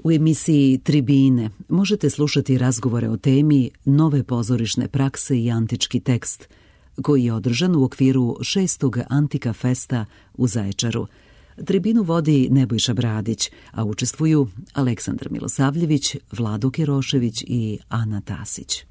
U emisiji Tribine možete slušati razgovore o temi nove pozorišne prakse i antički tekst, koji je održan u okviru 6. Antika Festa u Zaječaru. Tribinu vodi Nebojša Bradić, a učestvuju Aleksandar Milosavljević, Vlado Kerošević i Ana Tasić.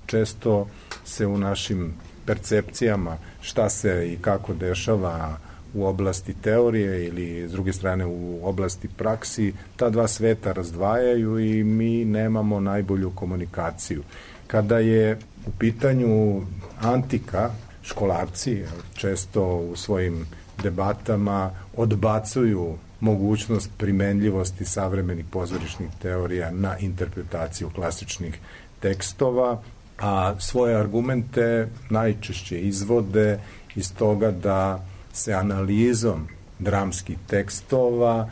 Često se u našim percepcijama šta se i kako dešava u oblasti teorije ili s druge strane u oblasti praksi, ta dva sveta razdvajaju i mi nemamo najbolju komunikaciju. Kada je u pitanju antika, školarci često u svojim debatama odbacuju mogućnost primenljivosti savremenih pozorišnih teorija na interpretaciju klasičnih tekstova, a svoje argumente najčešće izvode iz toga da se analizom dramskih tekstova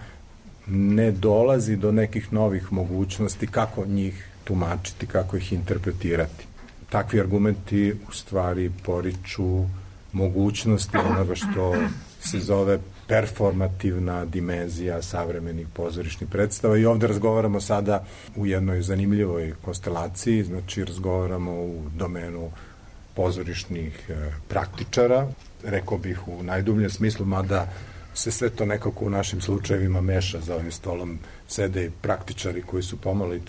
ne dolazi do nekih novih mogućnosti kako njih tumačiti, kako ih interpretirati. Takvi argumenti u stvari poriču mogućnosti onoga što se zove performativna dimenzija savremenih pozorišnih predstava i ovde razgovaramo sada u jednoj zanimljivoj konstelaciji, znači razgovaramo u domenu pozorišnih praktičara, rekao bih u najdubljem smislu, mada se sve to nekako u našim slučajevima meša. Za ovim stolom sede i praktičari koji su pomalo i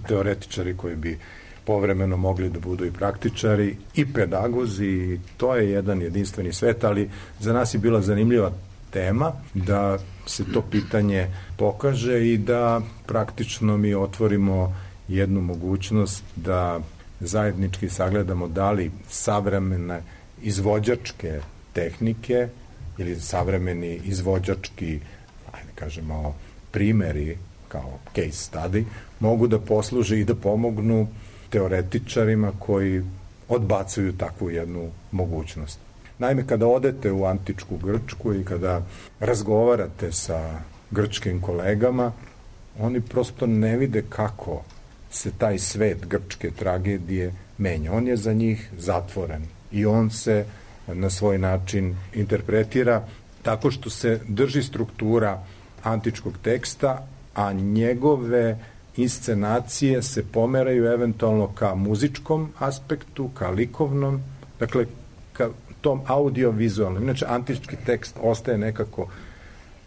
teoretičari koji bi povremeno mogli da budu i praktičari i pedagozi. To je jedan jedinstveni svet, ali za nas je bila zanimljiva tema da se to pitanje pokaže i da praktično mi otvorimo jednu mogućnost da zajednički sagledamo da li savremene izvođačke tehnike ili savremeni izvođački, ajde kažemo, primeri kao case study mogu da posluže i da pomognu teoretičarima koji odbacuju takvu jednu mogućnost. Naime, kada odete u antičku Grčku i kada razgovarate sa grčkim kolegama, oni prosto ne vide kako se taj svet grčke tragedije menja. On je za njih zatvoren i on se na svoj način interpretira tako što se drži struktura antičkog teksta, a njegove inscenacije se pomeraju eventualno ka muzičkom aspektu, ka likovnom, dakle ka tom audio-vizualnom. Inače, antički tekst ostaje nekako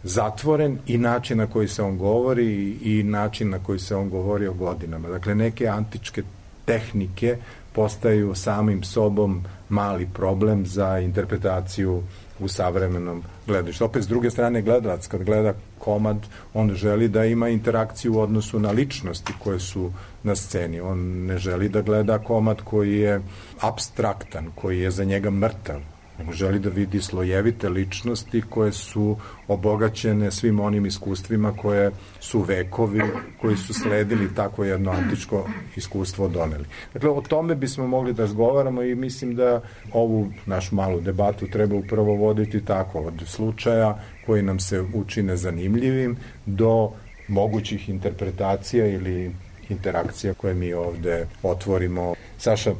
zatvoren i način na koji se on govori i način na koji se on govori o godinama. Dakle, neke antičke tehnike postaju samim sobom mali problem za interpretaciju u savremenom gledalištu. Opet, s druge strane, gledalac kad gleda komad, on želi da ima interakciju u odnosu na ličnosti koje su na sceni. On ne želi da gleda komad koji je apstraktan, koji je za njega mrtav. On želi da vidi slojevite ličnosti koje su obogaćene svim onim iskustvima koje su vekovi, koji su sledili tako jedno antičko iskustvo doneli. Dakle, o tome bismo mogli da razgovaramo i mislim da ovu našu malu debatu treba upravo voditi tako, od slučaja koji nam se učine zanimljivim do mogućih interpretacija ili interakcija koje mi ovde otvorimo. Saša,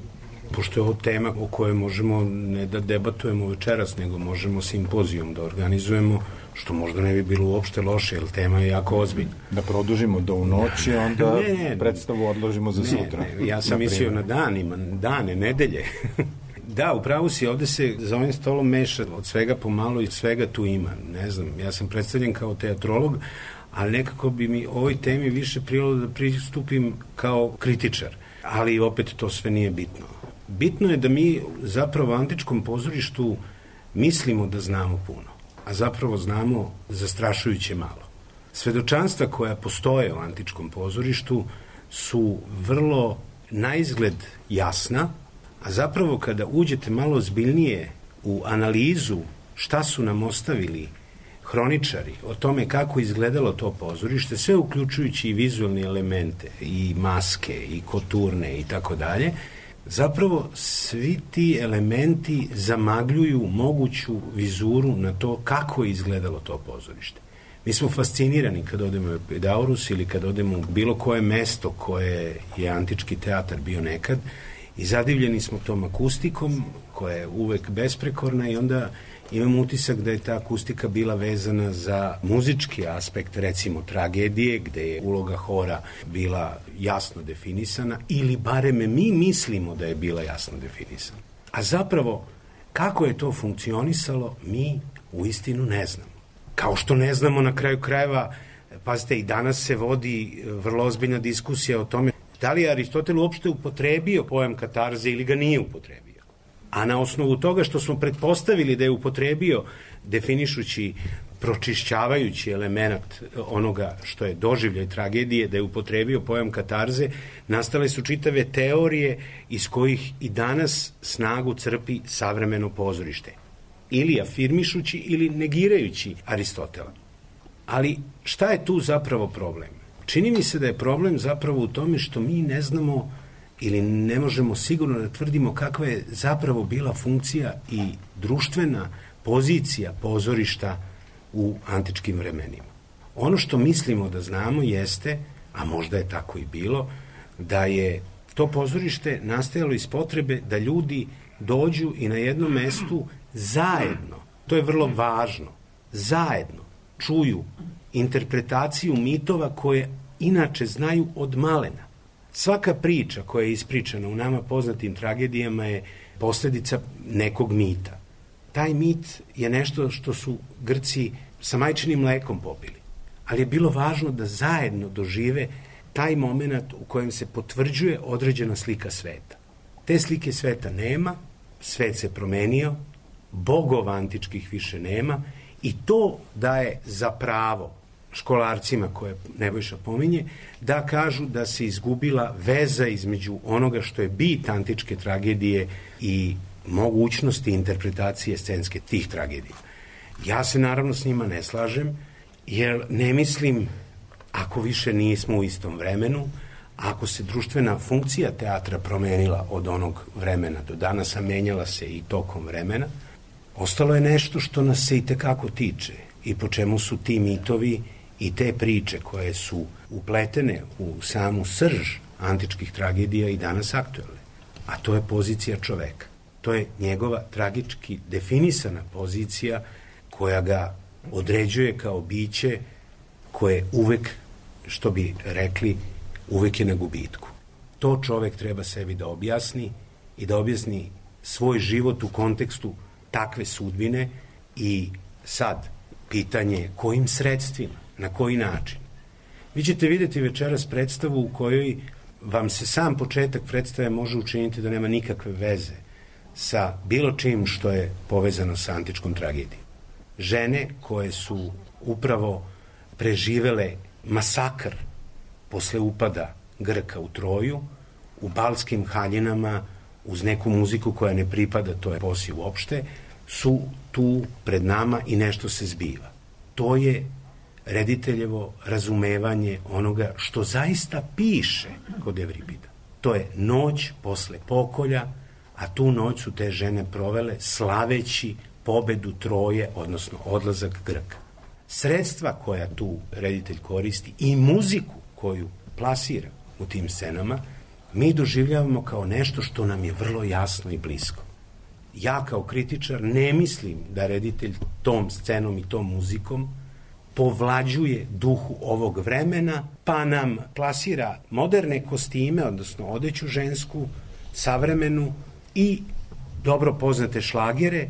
pošto je ovo tema o kojoj možemo ne da debatujemo večeras, nego možemo simpozijum da organizujemo, što možda ne bi bilo uopšte loše, jer tema je jako ozbiljna. Da produžimo do u noći, onda predstavu odložimo za sutra. Ja sam mislio na dane, nedelje. Da, upravo si, ovde se za ovim stolom meša od svega pomalo i svega tu ima. Ne znam, ja sam predstavljen kao teatrolog, ali nekako bi mi ovoj temi više prijelo da pristupim kao kritičar. Ali opet to sve nije bitno. Bitno je da mi zapravo u antičkom pozorištu mislimo da znamo puno, a zapravo znamo zastrašujuće malo. Svedočanstva koja postoje u antičkom pozorištu su vrlo naizgled jasna, a zapravo kada uđete malo ozbiljnije u analizu šta su nam ostavili hroničari o tome kako izgledalo to pozorište, sve uključujući i vizualne elemente, i maske, i koturne i tako dalje, zapravo svi ti elementi zamagljuju moguću vizuru na to kako je izgledalo to pozorište. Mi smo fascinirani kad odemo u Epidaurus ili kad odemo u bilo koje mesto koje je antički teatar bio nekad i zadivljeni smo tom akustikom koja je uvek besprekorna i onda imam utisak da je ta akustika bila vezana za muzički aspekt, recimo tragedije, gde je uloga hora bila jasno definisana, ili barem mi mislimo da je bila jasno definisana. A zapravo, kako je to funkcionisalo, mi u istinu ne znamo. Kao što ne znamo na kraju krajeva, pazite, i danas se vodi vrlo ozbiljna diskusija o tome da li je Aristotel uopšte upotrebio pojam katarze ili ga nije upotrebio. A na osnovu toga što smo pretpostavili da je upotrebio, definišući, pročišćavajući element onoga što je doživljaj tragedije, da je upotrebio pojam katarze, nastale su čitave teorije iz kojih i danas snagu crpi savremeno pozorište. Ili afirmišući ili negirajući Aristotela. Ali šta je tu zapravo problem? Čini mi se da je problem zapravo u tome što mi ne znamo ili ne možemo sigurno da tvrdimo kakva je zapravo bila funkcija i društvena pozicija pozorišta u antičkim vremenima. Ono što mislimo da znamo jeste, a možda je tako i bilo, da je to pozorište nastajalo iz potrebe da ljudi dođu i na jednom mestu zajedno, to je vrlo važno, zajedno čuju interpretaciju mitova koje inače znaju od malena. Svaka priča koja je ispričana u nama poznatim tragedijama je posledica nekog mita. Taj mit je nešto što su Grci sa majčinim mlekom popili. Ali je bilo važno da zajedno dožive taj moment u kojem se potvrđuje određena slika sveta. Te slike sveta nema, svet se promenio, bogova antičkih više nema i to daje za pravo školarcima koje Nebojša pominje, da kažu da se izgubila veza između onoga što je bit antičke tragedije i mogućnosti interpretacije scenske tih tragedija. Ja se naravno s njima ne slažem, jer ne mislim, ako više nismo u istom vremenu, ako se društvena funkcija teatra promenila od onog vremena do danas, a menjala se i tokom vremena, ostalo je nešto što nas se i tekako tiče i po čemu su ti mitovi i te priče koje su upletene u samu srž antičkih tragedija i danas aktuelne. A to je pozicija čoveka. To je njegova tragički definisana pozicija koja ga određuje kao biće koje uvek, što bi rekli, uvek je na gubitku. To čovek treba sebi da objasni i da objasni svoj život u kontekstu takve sudbine i sad pitanje kojim sredstvima, na koji način. Vi ćete vidjeti večeras predstavu u kojoj vam se sam početak predstave može učiniti da nema nikakve veze sa bilo čim što je povezano sa antičkom tragedijom. Žene koje su upravo preživele masakr posle upada Grka u Troju, u balskim haljinama, uz neku muziku koja ne pripada toj eposi uopšte, su tu pred nama i nešto se zbiva. To je rediteljevo razumevanje onoga što zaista piše kod Evripida. To je noć posle pokolja, a tu noć su te žene provele slaveći pobedu Troje, odnosno odlazak Grka. Sredstva koja tu reditelj koristi i muziku koju plasira u tim scenama, mi doživljavamo kao nešto što nam je vrlo jasno i blisko. Ja kao kritičar ne mislim da reditelj tom scenom i tom muzikom povlađuje duhu ovog vremena, pa nam plasira moderne kostime, odnosno odeću žensku, savremenu i dobro poznate šlagere,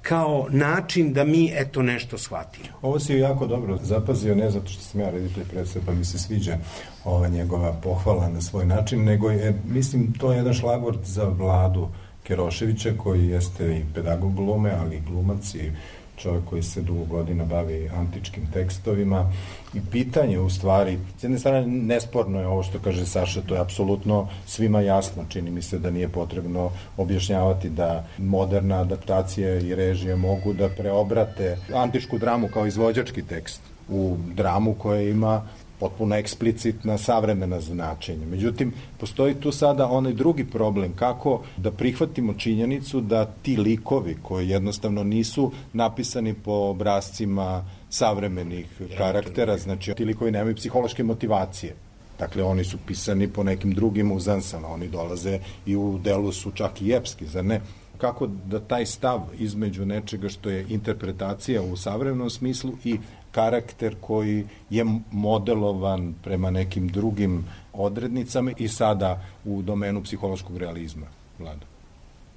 kao način da mi eto nešto shvatimo. Ovo si jako dobro zapazio, ne zato što sam ja reditelj predstave, pa mi se sviđa ova njegova pohvala na svoj način, nego je, mislim, to je jedan šlagvort za Vladu Keroševića, koji jeste i pedagog glume, ali i glumac i čovjek koji se dugo godina bavi antičkim tekstovima i pitanje u stvari, s jedne strane nesporno je ovo što kaže Saša, to je apsolutno svima jasno, čini mi se da nije potrebno objašnjavati da moderna adaptacija i režije mogu da preobrate antičku dramu kao izvođački tekst u dramu koja ima potpuno eksplicitna savremena značenja. Međutim, postoji tu sada onaj drugi problem, kako da prihvatimo činjenicu da ti likovi koji jednostavno nisu napisani po obrascima savremenih karaktera, znači ti likovi nemaju psihološke motivacije. Dakle, oni su pisani po nekim drugim uzansama, oni dolaze i u delu su čak i epski, zar ne? kako da taj stav između nečega što je interpretacija u savremenom smislu i karakter koji je modelovan prema nekim drugim odrednicama i sada u domenu psihološkog realizma. Vlado.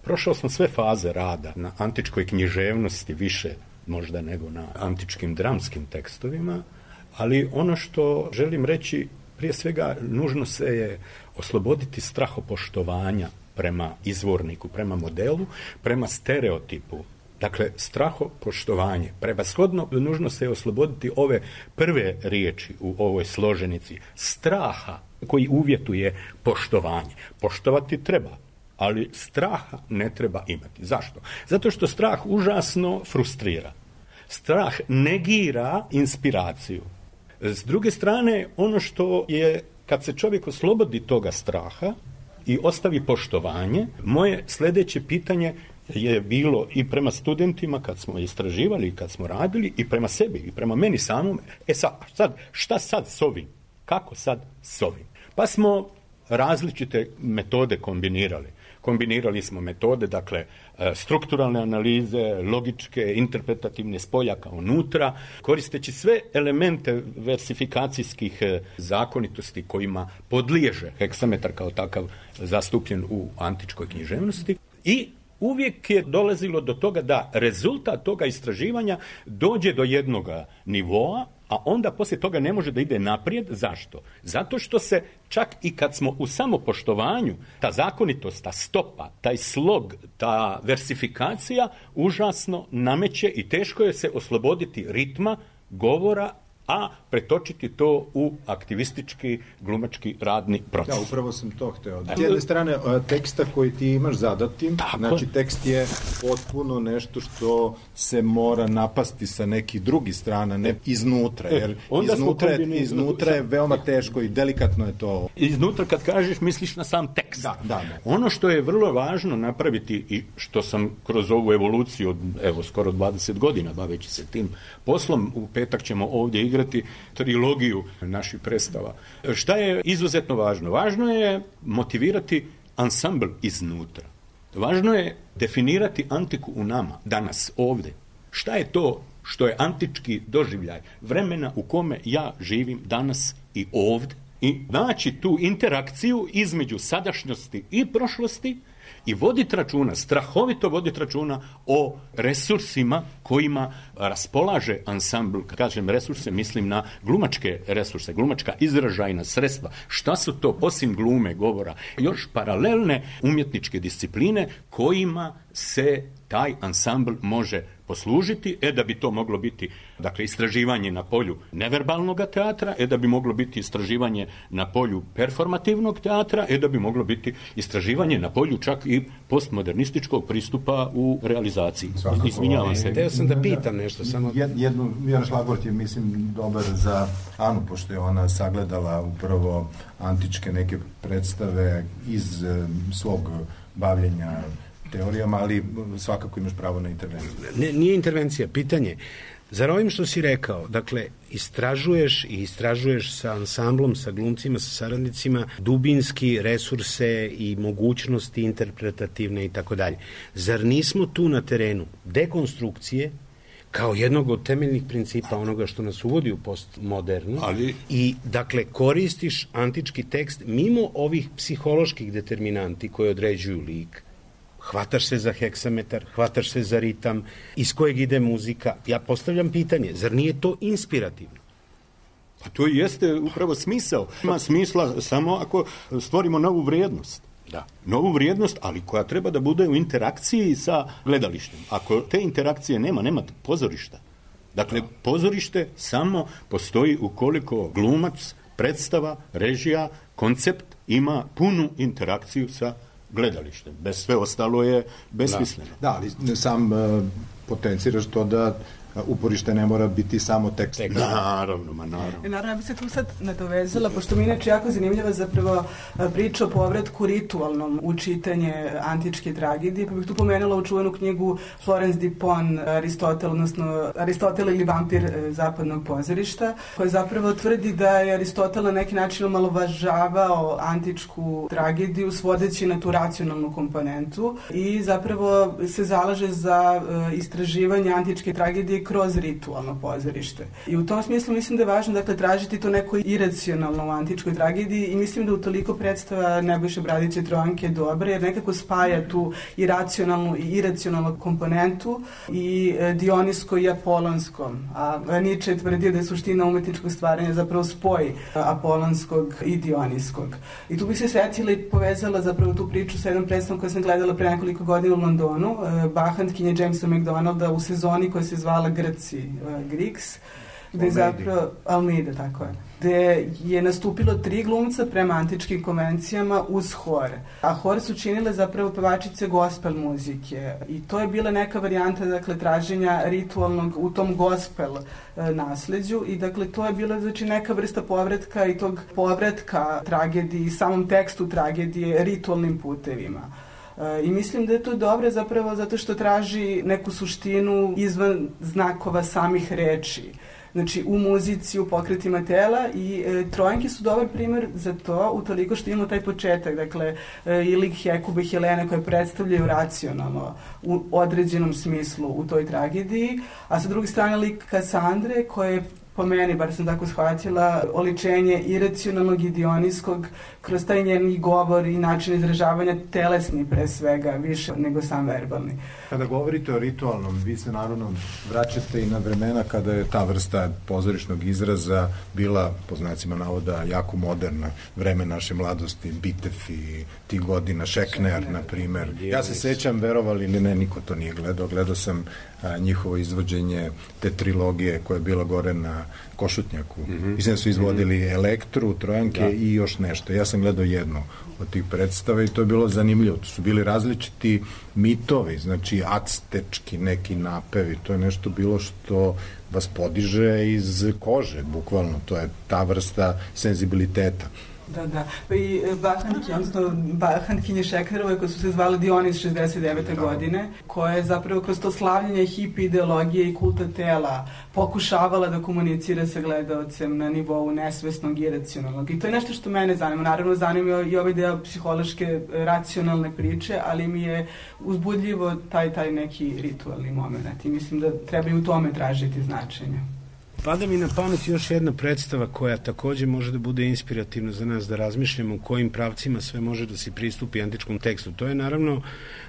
Prošao sam sve faze rada na antičkoj književnosti, više možda nego na antičkim dramskim tekstovima, ali ono što želim reći, prije svega, nužno se je osloboditi strahopoštovanja prema izvorniku, prema modelu, prema stereotipu. Dakle, strahopoštovanje. Prevashodno nužno se je osloboditi ove prve riječi u ovoj složenici. Straha koji uvjetuje poštovanje. Poštovati treba, ali straha ne treba imati. Zašto? Zato što strah užasno frustrira. Strah negira inspiraciju. S druge strane, ono što je, kad se čovjek oslobodi toga straha i ostavi poštovanje, moje sljedeće pitanje je bilo i prema studentima kad smo istraživali i kad smo radili, i prema sebi i prema meni samom. Sad, šta sad s ovim? Kako sad s ovim? Pa smo različite metode kombinirali. Kombinirali smo metode, dakle, strukturalne analize, logičke, interpretativne, spoljaka unutra, koristeći sve elemente versifikacijskih zakonitosti kojima podliježe heksametar kao takav zastupljen u antičkoj književnosti. I uvijek je dolazilo do toga da rezultat toga istraživanja dođe do jednoga nivoa, a onda poslije toga ne može da ide naprijed. Zašto? Zato što se čak i kad smo u samopoštovanju, ta zakonitost, ta stopa, taj slog, ta versifikacija užasno nameće i teško je se osloboditi ritma, govora, a pretočiti to u aktivistički, glumački, radni proces. Da, upravo sam to hteo. S jedne strane, teksta koji ti imaš zadatim, znači tekst je potpuno nešto što se mora napasti sa nekih drugih strana, ne iznutra, jer iznutra je veoma teško i delikatno je to. Iznutra kad kažeš, misliš na sam tekst. Da. Ono što je vrlo važno napraviti i što sam kroz ovu evoluciju od, skoro 20 godina baveći se tim poslom, u petak ćemo ovdje igrati trilogiju naših predstava. Šta je izuzetno važno? Važno je motivirati ansambl iznutra. Važno je definirati antiku u nama, danas, ovdje. Šta je to što je antički doživljaj vremena u kome ja živim danas i ovdje, i naći tu interakciju između sadašnjosti i prošlosti i voditi računa, strahovito voditi računa o resursima kojima raspolaže ansambl. Kad kažem resurse, mislim na glumačke resurse, glumačka izražajna sredstva. Šta su to, osim glume, govora, još paralelne umjetničke discipline kojima se taj ansambl može poslužiti, da bi to moglo biti, dakle, istraživanje na polju neverbalnog teatra, da bi moglo biti istraživanje na polju performativnog teatra, da bi moglo biti istraživanje na polju čak i postmodernističkog pristupa u realizaciji. Izvinjavam se. Teo sam da pitam nešto. Samo... Jedan šlagvort je, mislim, dobar za Anu, pošto je ona sagledala upravo antičke neke predstave iz svog bavljenja teorijama, ali svakako imaš pravo na intervenciju. Nije intervencija, pitanje. Zar ovim što si rekao, dakle, istražuješ sa ansamblom, sa glumcima, sa saradnicima, dubinski resurse i mogućnosti interpretativne i tako dalje. Zar nismo tu na terenu dekonstrukcije kao jednog od temeljnih principa onoga što nas uvodi u postmodernu, i, dakle, koristiš antički tekst mimo ovih psiholoških determinanti koji određuju lik, hvataš se za heksametar, hvataš se za ritam, iz kojeg ide muzika. Ja postavljam pitanje, zar nije to inspirativno? Pa to jeste upravo smisao. Ima smisla samo ako stvorimo novu vrijednost. Da. Novu vrijednost, ali koja treba da bude u interakciji sa gledalištem. Ako te interakcije nema pozorišta. Dakle, pozorište samo postoji ukoliko glumac, predstava, režija, koncept ima punu interakciju sa gledalištem. Bez sve ostalo je besmisleno. Da, ali sam potenciraš to da uporište ne mora biti samo tekst. Naravno. Naravno, ja bi se tu sad nadovezala, pošto mi inače jako zanimljiva zapravo priča o povratku ritualnom u čitanje antičke tragedije, pa bih tu pomenula u čuvenu knjigu Florence Dupont, Aristotel ili vampir zapadnog pozorišta, koja zapravo tvrdi da je Aristotel na neki način omalovažavao antičku tragediju svodeći na tu racionalnu komponentu i zapravo se zalaže za istraživanje antičke tragedije kroz ritualno pozorište. I u tom smislu mislim da je važno, dakle, tražiti to neko iracionalno u antičkoj tragediji i mislim da utoliko predstava Nebojše Bradića Trojanke je dobra, jer nekako spaja tu i racionalnu i iracionalnu komponentu i Dionisko i Apolonsko. A Nietzsche je tvrdio da je suština umetničkog stvaranja zapravo spoj Apolonskog i Dioniskog. I tu bih se setila i povezala zapravo tu priču sa jednom predstavom koju sam gledala pre nekoliko godina u Londonu, Bacchantkinje Jamesa McDonalda u sezoni koja se zvala Grci, Greeks, gde je zapravo Almeida, tako je, gde je nastupilo 3 glumca prema antičkim konvencijama uz hor. A hor su činile zapravo pevačice gospel muzike i to je bila neka varijanta, dakle, traženja ritualnog u tom gospel nasleđu i dakle to je bila, znači, neka vrsta povratka i tog povratka tragediji, samom tekstu tragedije ritualnim putevima. I mislim da je to dobro zapravo zato što traži neku suštinu izvan znakova samih reči. Znači, u muzici, u pokretima tela i Trojanke su dobar primer za to, utoliko što imamo taj početak, dakle, i lik Hekube i Helene koje predstavljaju racionalno u određenom smislu u toj tragediji, a sa druge strane lik Kasandre koje po meni, bar sam tako shvatila, oličenje iracionalnog i Dionijskog kroz taj njen govor i način izražavanja telesni pre svega, više nego sam verbalni. Kada govorite o ritualnom, vi se naravno vraćate i na vremena kada je ta vrsta pozorišnog izraza bila, po znacima navoda, jako moderna, vreme naše mladosti, Bitev i tih godina, Šekner, na primer. Ja se sećam, verovali ili ne, niko to nije gledao sam njihovo izvođenje te trilogije koja je bila gore na Košutnjaku. Mislim da su izvodili Elektru, Trojanke i još nešto. Ja sam gledao jednu od tih predstava i to je bilo zanimljivo. To su bili različiti mitovi, znači actečki neki napevi. To je nešto bilo što vas podiže iz kože, bukvalno. To je ta vrsta senzibiliteta. Da. Pa i Bacchantkinje Šeknerove koje su se zvale Dionis 69. godine, koja je zapravo kroz to slavljenje hipi ideologije i kulta tela pokušavala da komunicira sa gledaocem na nivou nesvesnog i iracionalnog. I to je nešto što mene zanima. Naravno, zanima i ovaj deo psihološke, racionalne priče, ali mi je uzbudljivo taj neki ritualni moment. I mislim da treba i u tome tražiti značenje. Pada mi na pamet još jedna predstava koja takođe može da bude inspirativna za nas da razmišljamo u kojim pravcima sve može da se pristupi antičkom tekstu. To je naravno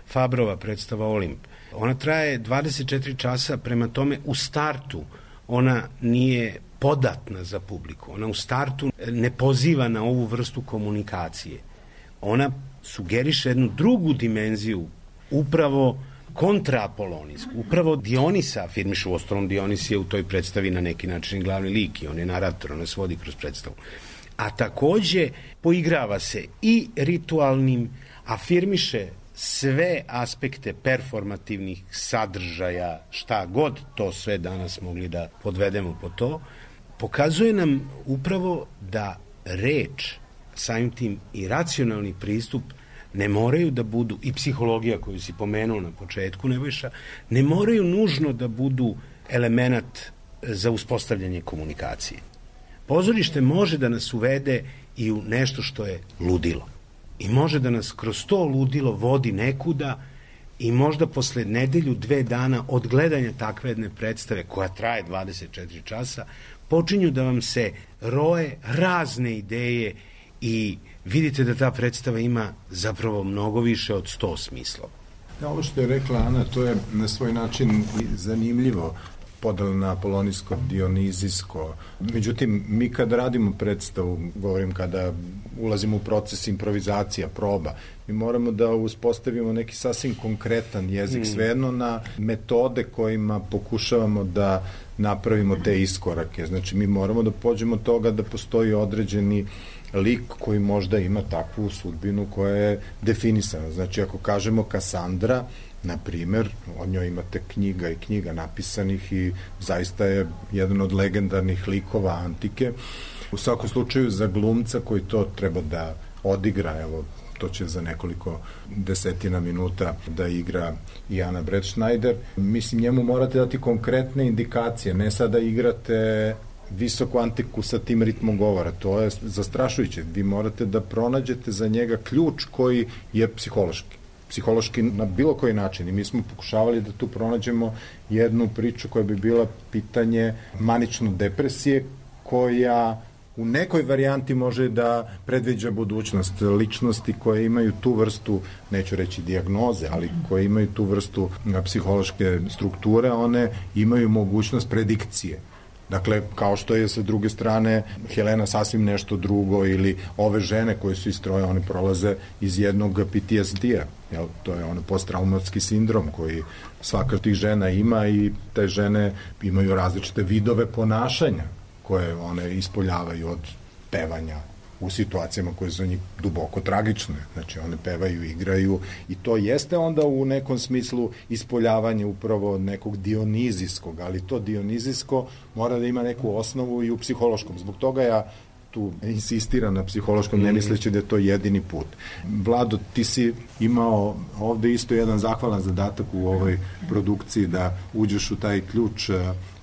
Fabrova predstava Olimp. Ona traje 24 časa, prema tome u startu ona nije podatna za publiku. Ona u startu ne poziva na ovu vrstu komunikacije. Ona sugeriše jednu drugu dimenziju, upravo kontraapolonijsku. Upravo Dionisa afirmišu, uostalom Dionis je u toj predstavi na neki način glavni lik i on je narator, on nas vodi kroz predstavu. A takođe poigrava se i ritualnim, afirmiše sve aspekte performativnih sadržaja, šta god to sve danas mogli da podvedemo po to, pokazuje nam upravo da reč, samim tim i racionalni pristup ne moraju da budu, i psihologija koju si pomenuo na početku, Nebojša, ne moraju nužno da budu element za uspostavljanje komunikacije. Pozorište može da nas uvede i u nešto što je ludilo. I može da nas kroz to ludilo vodi nekuda i možda posle nedelju, 2 dana od gledanja takve jedne predstave koja traje 24 časa, počinju da vam se roje razne ideje i vidite da ta predstava ima zapravo mnogo više od 100 smislova. Ovo što je rekla Ana, to je na svoj način zanimljivo, podela na apolonijsko, dionizijsko. Međutim, mi kad radimo predstavu, govorim kada ulazimo u proces improvizacija, proba, mi moramo da uspostavimo neki sasvim konkretan jezik, svejedno na metode kojima pokušavamo da napravimo te iskorake. Znači, mi moramo da pođemo od toga da postoji određeni lik koji možda ima takvu sudbinu koja je definisana. Znači, ako kažemo Kasandra, na primer, o njoj imate knjiga i knjiga napisanih i zaista je jedan od legendarnih likova antike. U svakom slučaju za glumca koji to treba da odigra, evo, to će za nekoliko desetina minuta da igra i Ana Bretschneider. Mislim, njemu morate dati konkretne indikacije, ne sada igrate visoku antiku sa tim ritmom govora. To je zastrašujuće. Vi morate da pronađete za njega ključ koji je psihološki na bilo koji način. I mi smo pokušavali da tu pronađemo jednu priču koja bi bila pitanje manične depresije, koja u nekoj varijanti može da predviđa budućnost. Ličnosti koje imaju tu vrstu, neću reći dijagnoze, ali koje imaju tu vrstu psihološke strukture, one imaju mogućnost predikcije. Dakle, kao što je sa druge strane Helena sasvim nešto drugo, ili ove žene koje su iz Troje, one prolaze iz jednog PTSD-a. To je ono posttraumatski sindrom koji svaka od tih žena ima i te žene imaju različite vidove ponašanja koje one ispoljavaju od pevanja u situacijama koje su njih duboko tragične. Znači, one pevaju, igraju i to jeste onda u nekom smislu ispoljavanje upravo nekog dionizijskog, ali to dionizijsko mora da ima neku osnovu i u psihološkom. Zbog toga ja tu insistiram na psihološkom, ne misleći da je to jedini put. Vlado, ti si imao ovde isto jedan zahvalan zadatak u ovoj produkciji da uđeš u taj ključ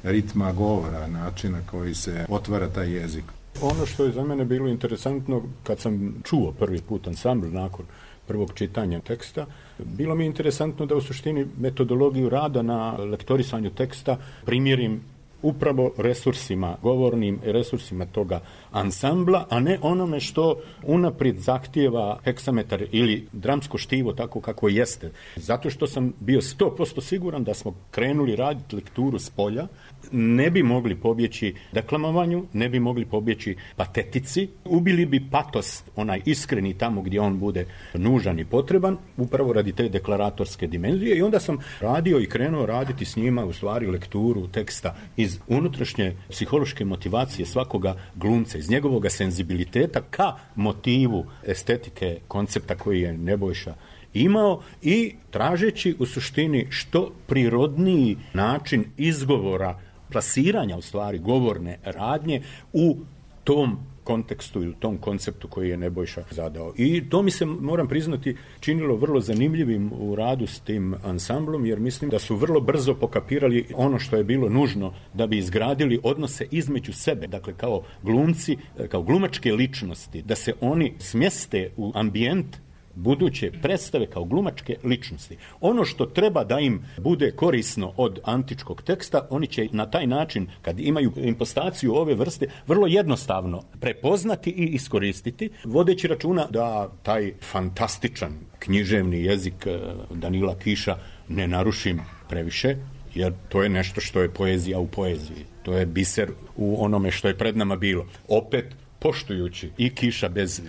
ritma govora, načina koji se otvara taj jezik. Ono što je za mene bilo interesantno, kad sam čuo prvi put ansambl nakon prvog čitanja teksta, bilo mi je interesantno da u suštini metodologiju rada na lektorisanju teksta primjerim upravo resursima, govornim resursima toga ansambla, a ne onome što unaprijed zahtijeva heksametar ili dramsko štivo tako kako jeste. Zato što sam bio 100% siguran da smo krenuli raditi lekturu s polja, ne bi mogli pobjeći deklamovanju, ne bi mogli pobjeći patetici, ubili bi patos, onaj iskreni tamo gdje on bude nužan i potreban, upravo radi te deklaratorske dimenzije, i onda sam radio i krenuo raditi s njima u stvari lekturu teksta iz unutrašnje psihološke motivacije svakoga glumca, iz njegovog senzibiliteta ka motivu estetike koncepta koji je Nebojša imao i tražeći u suštini što prirodniji način izgovora, plasiranja u stvari govorne radnje u tom kontekstu ili u tom konceptu koji je Nebojša zadao. I to mi se, moram priznati, činilo vrlo zanimljivim u radu s tim ansamblom, jer mislim da su vrlo brzo pokapirali ono što je bilo nužno da bi izgradili odnose između sebe, dakle kao glumci, kao glumačke ličnosti, da se oni smjeste u ambijent buduće predstave kao glumačke ličnosti. Ono što treba da im bude korisno od antičkog teksta, oni će na taj način, kad imaju impostaciju ove vrste, vrlo jednostavno prepoznati i iskoristiti, vodeći računa da taj fantastičan književni jezik Danila Kiša ne narušim previše, jer to je nešto što je poezija u poeziji. To je biser u onome što je pred nama bilo. Opet, poštujući i Kiša bez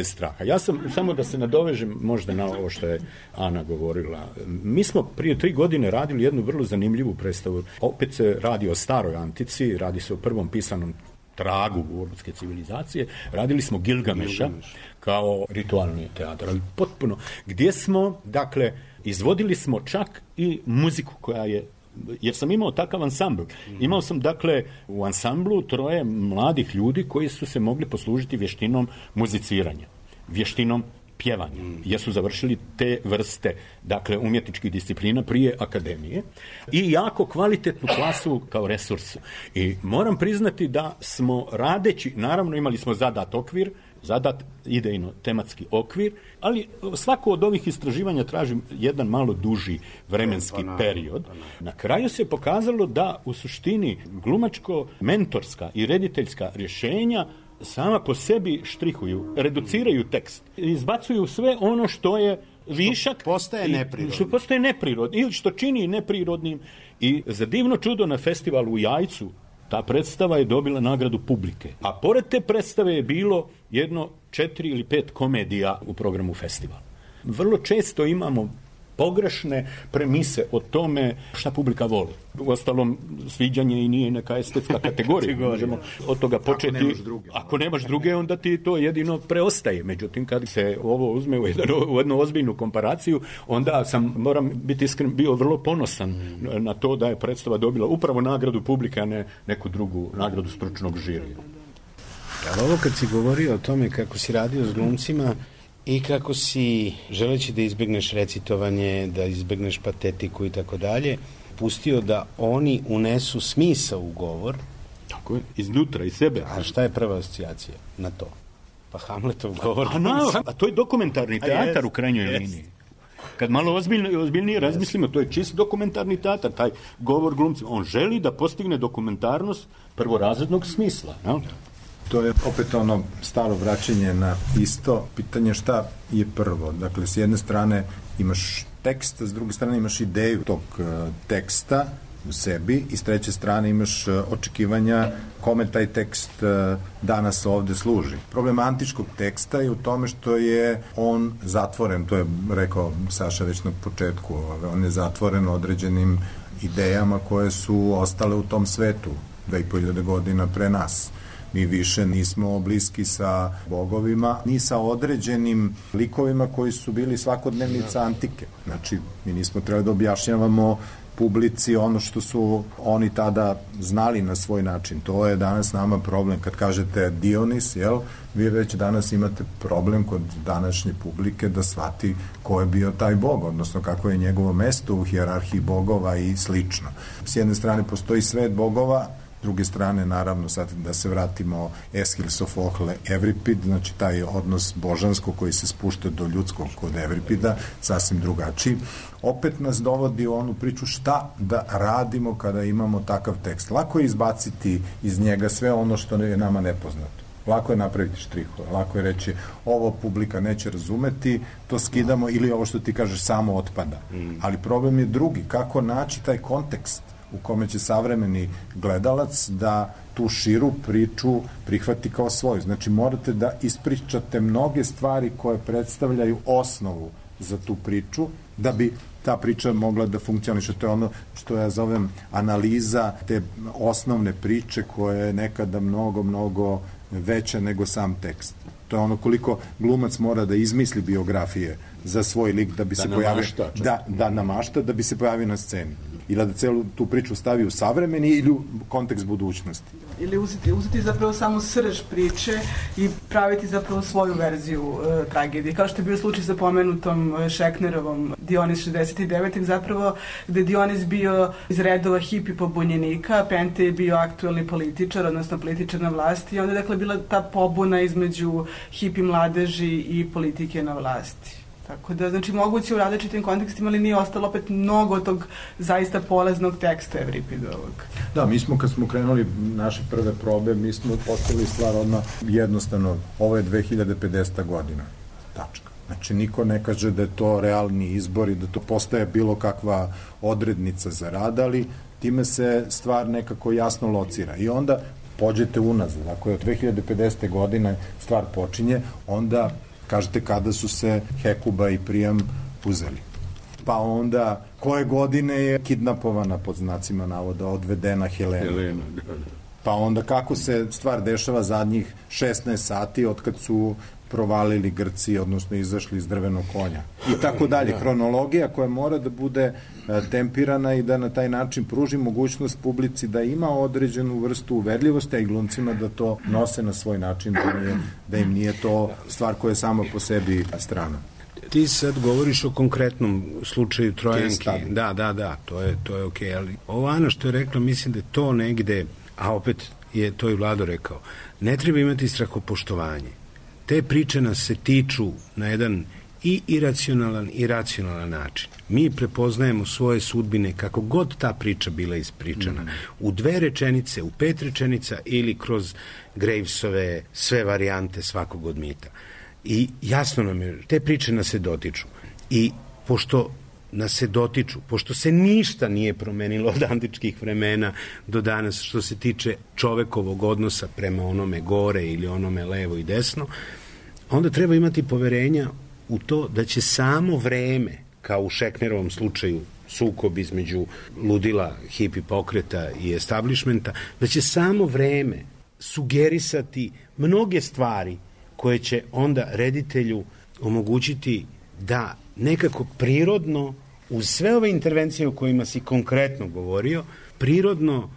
straha. Ja sam, samo da se nadovežem možda na ovo što je Ana govorila, mi smo prije 3 godine radili jednu vrlo zanimljivu predstavu. Opet se radi o staroj antici, radi se o prvom pisanom tragu urbanske civilizacije. Radili smo Gilgameša kao ritualni teatr, ali potpuno, gdje smo, dakle, izvodili smo čak i muziku koja je, jer sam imao takav ansambl. Imao sam, dakle, u ansamblu 3 mladih ljudi koji su se mogli poslužiti vještinom muziciranja, vještinom pjevanja, jer su završili te vrste, dakle, umjetničkih disciplina prije akademije i jako kvalitetnu klasu kao resurs. I moram priznati da smo radeći, naravno imali smo zadat okvir, zadat idejno tematski okvir, ali svako od ovih istraživanja traži jedan malo duži vremenski period. Na kraju se pokazalo da u suštini glumačko-mentorska i rediteljska rješenja sama po sebi štrihuju, reduciraju tekst, izbacuju sve ono što je višak, što postaje neprirodno ili što čini neprirodnim. I za divno čudo na festivalu u Jajcu ta predstava je dobila nagradu publike. A pored te predstave je bilo jedno 4 ili 5 komedija u programu festivala. Vrlo često imamo pogrešne premise o tome šta publika voli. Uostalom, sviđanje i nije neka estetska kategorija. Možemo od toga početi. Ako nemaš druge, onda ti to jedino preostaje. Međutim, kad se ovo uzme u jednu ozbiljnu komparaciju, onda sam, moram biti iskren, bio vrlo ponosan na to da je predstava dobila upravo nagradu publike, a ne neku drugu nagradu stručnog žirija. Ali ovo kad si govorio o tome kako si radio s glumcima i kako si, želeći da izbegneš recitovanje, da izbegneš patetiku i tako dalje, pustio da oni unesu smisao u govor. Tako je, iznutra, iz sebe. A šta je prva asocijacija na to? Pa Hamletov govor. A to je dokumentarni teatar u krajnjoj liniji. Kad malo ozbiljnije razmislimo, to je čist dokumentarni teatar, taj govor glumcima. On želi da postigne dokumentarnost prvorazrednog smisla. No? To je opet ono staro vraćanje na isto pitanje šta je prvo. Dakle, s jedne strane imaš tekst, s druge strane imaš ideju tog teksta u sebi i s treće strane imaš očekivanja kome taj tekst danas ovde služi. Problem antičkog teksta je u tome što je on zatvoren, to je rekao Saša već na početku, on je zatvoren određenim idejama koje su ostale u tom svetu 2500 godina pre nas. Mi više nismo bliski sa bogovima, ni sa određenim likovima koji su bili svakodnevnica antike. Znači, mi nismo trebali da objašnjavamo publici ono što su oni tada znali na svoj način. To je danas nama problem. Kad kažete Dionis, jel, vi već danas imate problem kod današnje publike da shvati ko je bio taj bog, odnosno kako je njegovo mesto u hijerarhiji bogova i slično. S jedne strane postoji svet bogova, s druge strane, naravno, sad da se vratimo Eschil, Sofocle, Evripid, znači taj odnos božansko koji se spušta do ljudskog kod Evripida, sasvim drugačiji. Opet nas dovodi u onu priču šta da radimo kada imamo takav tekst. Lako je izbaciti iz njega sve ono što je nama nepoznato. Lako je napraviti štrihove, lako je reći ovo publika neće razumeti, to skidamo ili ovo što ti kažeš samo otpada. Ali problem je drugi, kako naći taj kontekst u kome će savremeni gledalac da tu širu priču prihvati kao svoju. Znači, morate da ispričate mnoge stvari koje predstavljaju osnovu za tu priču, da bi ta priča mogla da funkcioniše. To je ono što ja zovem analiza te osnovne priče koja je nekada mnogo veća nego sam tekst. To je ono koliko glumac mora da izmisli biografije za svoj lik da bi se pojavio, da namašta, da bi se pojavio na sceni. Ili da celu tu priču stavi u savremeni ili u kontekst budućnosti. Ili uzeti zapravo samo srž priče i praviti zapravo svoju verziju tragedije. Kao što je bio slučaj sa pomenutom Šeknerovom Dionis 69. zapravo, gde Dionis bio iz redova hipi pobunjenika, Pente je bio aktuelni političar, odnosno političar na vlasti, i onda je dakle bila ta pobuna između hipi mladeži i politike na vlasti. Tako da, znači, moguće u različitim kontekstima, ali nije ostalo opet mnogo tog zaista poleznog teksta Evripidovog. Da, mi smo, kad smo krenuli naše prve probe, mi smo postavili stvar odmah jednostavno, ovo je 2050. godina, tačka. Znači, niko ne kaže da je to realni izbor i da to postaje bilo kakva odrednica za rad, ali time se stvar nekako jasno locira. I onda pođete unazad, ako je od 2050. godine stvar počinje, onda kažete kada su se Hekuba i Prijam uzeli. Pa onda, koje godine je kidnapovana, pod znacima navoda, odvedena Helena. Pa onda kako se stvar dešava zadnjih 16 sati od kad su provalili Grci, odnosno izašli iz drvenog konja. I tako dalje. Hronologija koja mora da bude tempirana i da na taj način pruži mogućnost publici da ima određenu vrstu uverljivosti, a i glumcima da to nose na svoj način, da im nije to stvar koja je sama po sebi strana. Ti sad govoriš o konkretnom slučaju Trojanki. Da, to je okej, ali ovo Ana što je rekla, mislim da je to negde, a opet je to i Vlado rekao, ne treba imati strahopoštovanje. Te priče nas se tiču na jedan i iracionalan i racionalan način. Mi prepoznajemo svoje sudbine kako god ta priča bila ispričana. U 2 rečenice, u 5 rečenica ili kroz Gravesove sve varijante svakog od mita. I jasno nam je, te priče nas se dotiču. I pošto nas se dotiču, pošto se ništa nije promenilo od antičkih vremena do danas što se tiče čovekovog odnosa prema onome gore ili onome levo i desno, onda treba imati poverenja u to da će samo vreme kao u Šeknerovom slučaju sukob između ludila, hipi pokreta i establishmenta, da će samo vreme sugerisati mnoge stvari koje će onda reditelju omogućiti da nekako prirodno, uz sve ove intervencije o kojima si konkretno govorio, prirodno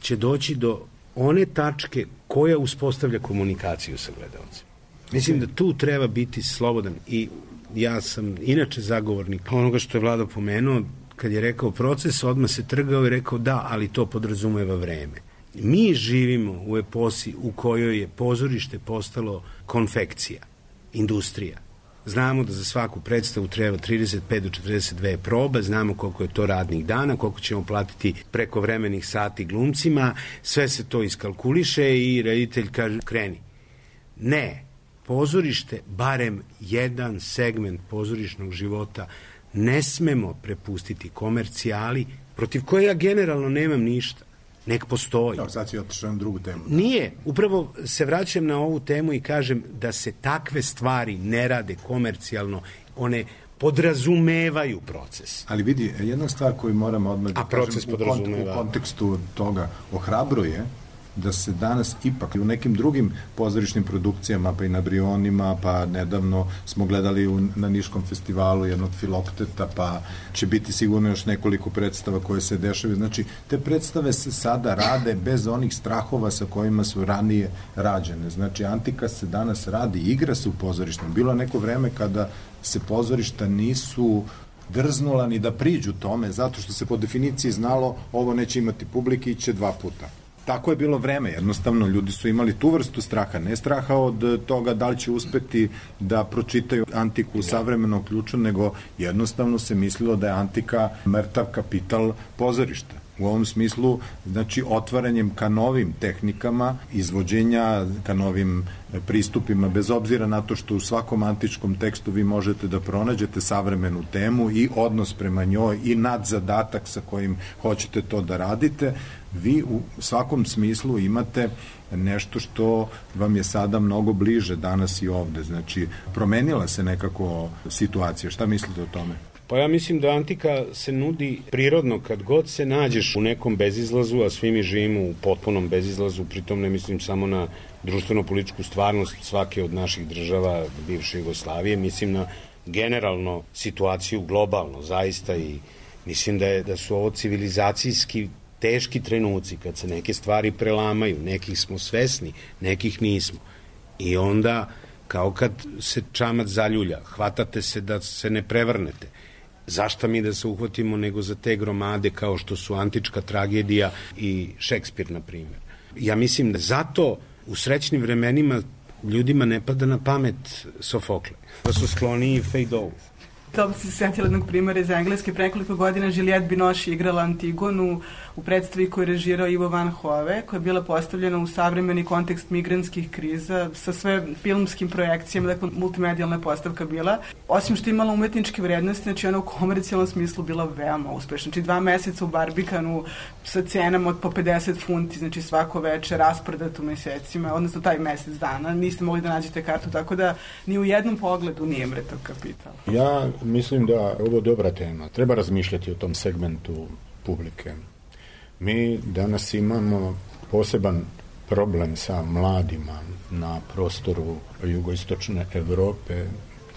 će doći do one tačke koja uspostavlja komunikaciju sa gledalcem. Mislim da tu treba biti slobodan i ja sam inače zagovornik onoga što je Vlado pomenuo, kad je rekao proces, odmah se trgao i rekao da, ali to podrazumeva vreme. Mi živimo u eposi u kojoj je pozorište postalo konfekcija, industrija. Znamo da za svaku predstavu treba 35 do 42 probe, znamo koliko je to radnih dana, koliko ćemo platiti prekovremenih sati glumcima, sve se to iskalkuliše i reditelj kaže kreni. Ne, pozorište, barem jedan segment pozorišnog života, ne smemo prepustiti komercijali, protiv koje ja generalno nemam ništa. Nek postoji. Sad si otišao na drugu temu. Nije. Upravo se vraćam na ovu temu i kažem da se takve stvari ne rade komercijalno. One podrazumevaju proces. Ali vidi, jedna stvar koju moramo odmah da kažem u kontekstu toga ohrabruje da se danas ipak u nekim drugim pozorišnim produkcijama, pa i na Brionima, pa nedavno smo gledali na Niškom festivalu jednog Filokteta, pa će biti sigurno još nekoliko predstava koje se dešavaju. Znači, te predstave se sada rade bez onih strahova sa kojima su ranije rađene. Znači, antika se danas radi, igra se u pozorištima. Bilo neko vreme kada se pozorišta nisu drznula ni da priđu tome, zato što se po definiciji znalo ovo neće imati publike, iće 2 puta. Tako je bilo vreme, jednostavno ljudi su imali tu vrstu straha, ne straha od toga da li će uspeti da pročitaju antiku u savremenom ključu, nego jednostavno se mislilo da je antika mrtav kapital pozorišta. U ovom smislu, znači, otvaranjem ka novim tehnikama, izvođenja ka novim pristupima, bez obzira na to što u svakom antičkom tekstu vi možete da pronađete savremenu temu i odnos prema njoj i nadzadatak sa kojim hoćete to da radite, vi u svakom smislu imate nešto što vam je sada mnogo bliže danas i ovde. Znači, promenila se nekako situacija. Šta mislite o tome? Pa ja mislim da antika se nudi prirodno kad god se nađeš u nekom bezizlazu, a svi mi živimo u potpunom bezizlazu, pritom ne mislim samo na društveno-političku stvarnost svake od naših država bivše Jugoslavije, mislim na generalno situaciju globalno, zaista, i mislim da su ovo civilizacijski teški trenuci kad se neke stvari prelamaju, nekih smo svesni, nekih nismo. I onda, kao kad se čamac zaljulja, hvatate se da se ne prevrnete. Zašta mi da se uhvatimo nego za te gromade kao što su antička tragedija i Šekspir, na primjer. Ja mislim da zato u srećnim vremenima ljudima ne pada na pamet Sofokle, da su skloniji Feydeau. To bi se setila jednog primjera iz Engleske. Pre nekoliko godina Juliette Binoche igrala Antigonu u predstavi koju je režirao Ivo Van Hove, koja je bila postavljena u savremeni kontekst migrantskih kriza sa sve filmskim projekcijama, dakle multimedijalna postavka bila. Osim što je imala umetničke vrednosti, znači ona u komercijalnom smislu bila veoma uspešna. Znači 2 meseca u Barbikanu sa cenama od po 50 funti, znači svako večer rasprodato mesecima, odnosno taj mesec dana, niste mogli da nađete kartu, tako da ni u jednom pogledu nije mrtav kapital. Ja mislim da je ovo dobra tema. Treba razmišljati o tom segmentu publike. Mi danas imamo poseban problem sa mladima na prostoru jugoistočne Evrope.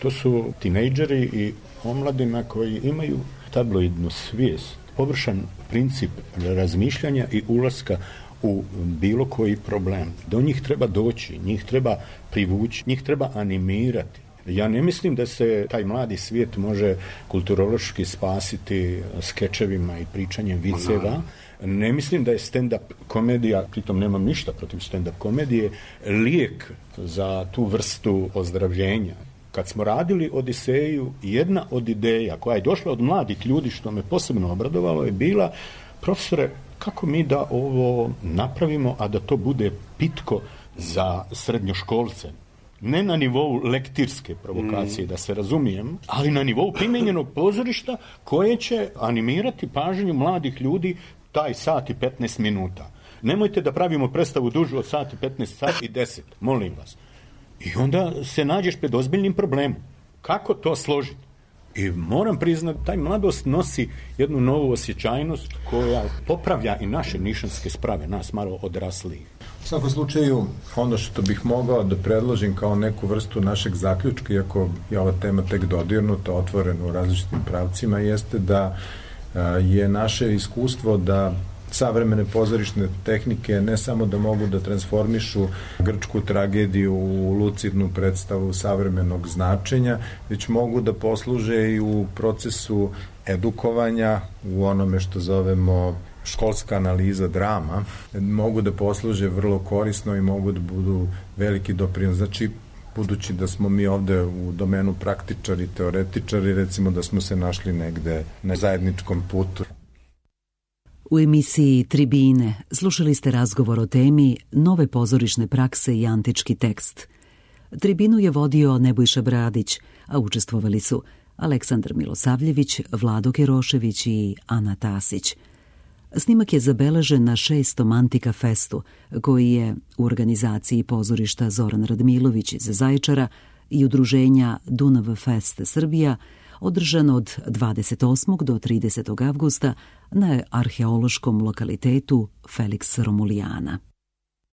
To su tinejdžeri i omladina koji imaju tabloidnu svijest, površan princip razmišljanja i ulaska u bilo koji problem. Do njih treba doći, njih treba privući, njih treba animirati. Ja ne mislim da se taj mladi svijet može kulturološki spasiti skečevima i pričanjem viceva. Ne mislim da je stand-up komedija, pritom nemam ništa protiv stand-up komedije, lijek za tu vrstu ozdravljenja. Kad smo radili Odiseju, jedna od ideja koja je došla od mladih ljudi, što me posebno obradovalo, je bila: profesore, kako mi da ovo napravimo, a da to bude pitko za srednjoškolce? Ne na nivou lektirske provokacije, da se razumijem, ali na nivou primenjenog pozorišta koje će animirati pažnju mladih ljudi taj sat i 15 minuta. Nemojte da pravimo predstavu dužu od sat i 15, sat i 10, molim vas. I onda se nađeš pred ozbiljnim problemom. Kako to složiti? I moram priznati, taj mladost nosi jednu novu osjećajnost koja popravlja i naše nišanske sprave, nas malo odraslijih. U svakom slučaju, ono što bih mogao da predložim kao neku vrstu našeg zaključka, iako je ova tema tek dodirnuta, otvorena u različitim pravcima, jeste da je naše iskustvo da savremene pozorišne tehnike ne samo da mogu da transformišu grčku tragediju u lucidnu predstavu savremenog značenja, već mogu da posluže i u procesu edukovanja, u onome što zovemo školska analiza drama, mogu da posluže vrlo korisno i mogu da budu veliki doprinos. Znači, budući da smo mi ovde u domenu praktičari, teoretičari, recimo da smo se našli negde na zajedničkom putu. U emisiji Tribine slušali ste razgovor o temi Nove pozorišne prakse i antički tekst. Tribinu je vodio Nebojša Bradić, a učestvovali su Aleksandar Milosavljević, Vlado Kerošević i Ana Tasić. Snimak je zabeležen na 6. Antika festu, koji je u organizaciji pozorišta Zoran Radmilović iz Zaječara i udruženja Dunav Fest Srbija, održan od 28. do 30. avgusta na arheološkom lokalitetu Felix Romulijana.